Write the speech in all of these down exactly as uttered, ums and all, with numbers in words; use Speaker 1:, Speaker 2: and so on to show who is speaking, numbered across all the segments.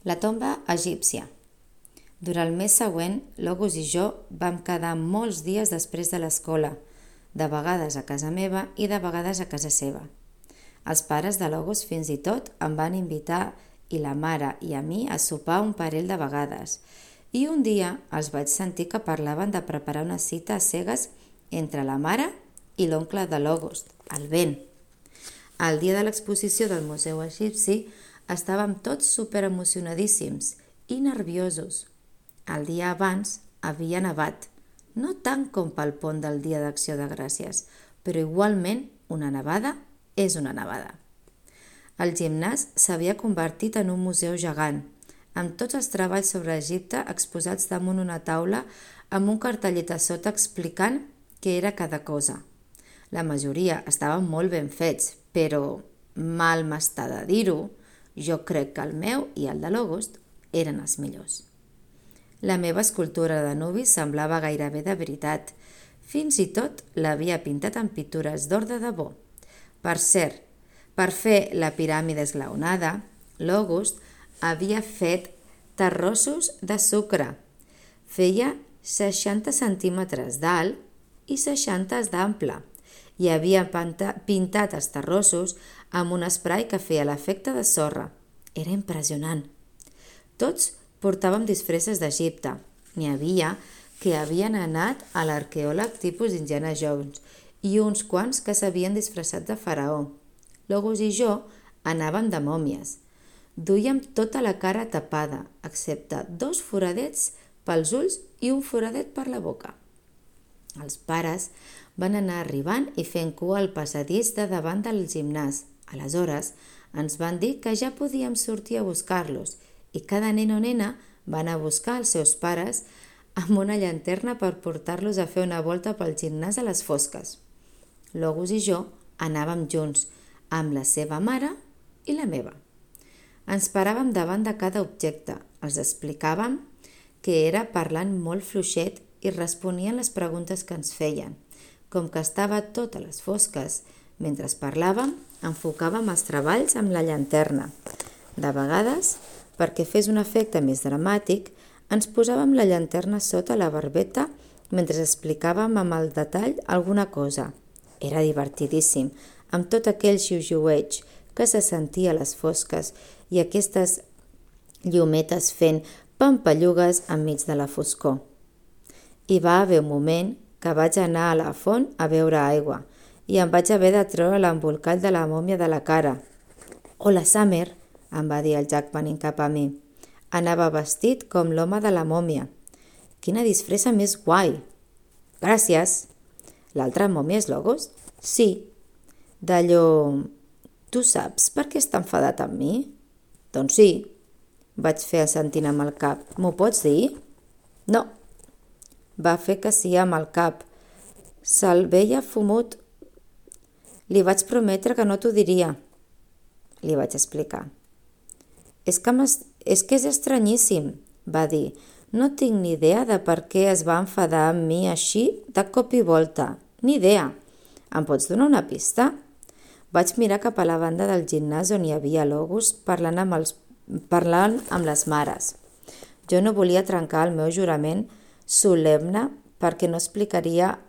Speaker 1: La tomba egípcia. Durant el mes següent, l'August i jo vam quedar molts dies després de l'escola, de vegades a casa meva i de vegades a casa seva. Els pares de l'August fins i tot em van invitar i la mare i a mi a sopar un parell de vegades. I un dia els vaig sentir que parlaven de preparar una cita a cegues entre la mare i l'oncle de l'August, el Ben. El dia de l'exposició del Museu Egipci estàvem tots superemocionadíssims i nerviosos. El dia abans havia nevat, no tant com pel pont del Dia d'Acció de Gràcies, però igualment una nevada és una nevada. El gimnàs s'havia convertit en un museu gegant, amb tots els treballs sobre Egipte exposats damunt una taula amb un cartellet a sota explicant què era cada cosa. La majoria estaven molt ben fets, però, mal m'està de dir-ho, jo crec que el meu i el de l'August eren els millors. La meva escultura de nuvi semblava gairebé de veritat. Fins i tot l'havia pintat amb pintures d'or de debò. Per cert, per fer la piràmide esglaonada, l'August havia fet terrossos de sucre. Feia seixanta centímetres d'alt i seixanta d'ample i havia pintat els terrossos amb un esprai que feia l'efecte de sorra. Era impressionant. Tots portàvem disfresses d'Egipte. N'hi havia que havien anat a l'arqueòleg tipus Indiana Jones i uns quants que s'havien disfressat de faraó. L'August i jo anàvem de mòmies. Duíem tota la cara tapada, excepte dos foradets pels ulls i un foradet per la boca. Els pares van anar arribant i fent cua al passadís de davant del gimnàs. Aleshores, ens van dir que ja podíem sortir a buscar-los i cada nen o nena va anar a buscar els seus pares amb una llanterna per portar-los a fer una volta pel gimnàs a les fosques. L'August i jo anàvem junts, amb la seva mare i la meva. Ens paràvem davant de cada objecte, els explicàvem que era parlant molt fluixet i responien les preguntes que ens feien. Com que estava tot a les fosques, mentre parlàvem, enfocàvem els treballs amb la llanterna. De vegades, perquè fes un efecte més dramàtic, ens posàvem la llanterna sota la barbeta mentre explicàvem amb el detall alguna cosa. Era divertidíssim, amb tot aquell xiuxiueig que se sentia a les fosques i aquestes llumetes fent pampallugues enmig de la foscor. Hi va haver un moment que vaig anar a la font a beure aigua i em vaig haver de treure l'embolcall de la mòmia de la cara. «Hola, Summer», em va dir el Jack venint cap a mi. Anava vestit com l'home de la mòmia. «Quina disfressa més guai!» «Gràcies!» «L'altra mòmia és l'August?» «Sí». «D'allò... Tu saps per què està enfadat amb mi?» «Doncs sí», vaig fer assentint amb el cap. «M'ho pots dir?» «No». Va fer que sí amb el cap. Se'l veia fumut. Li vaig prometre que no t'ho diria. Li vaig explicar. És que, és que és estranyíssim, va dir. No tinc ni idea de per què es va enfadar amb mi així de cop i volta. Ni idea. Em pots donar una pista? Vaig mirar cap a la banda del gimnàs on hi havia l'August parlant amb, els, parlant amb les mares. Jo no volia trencar el meu jurament solemne perquè no explicaria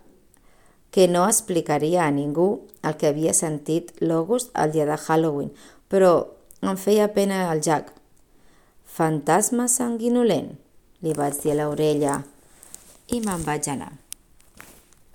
Speaker 1: que no explicaria a ningú el que havia sentit l'August el dia de Halloween, però em feia pena el Jack. «Fantasma sanguinolent», li vaig dir a l'orella i me'n vaig anar.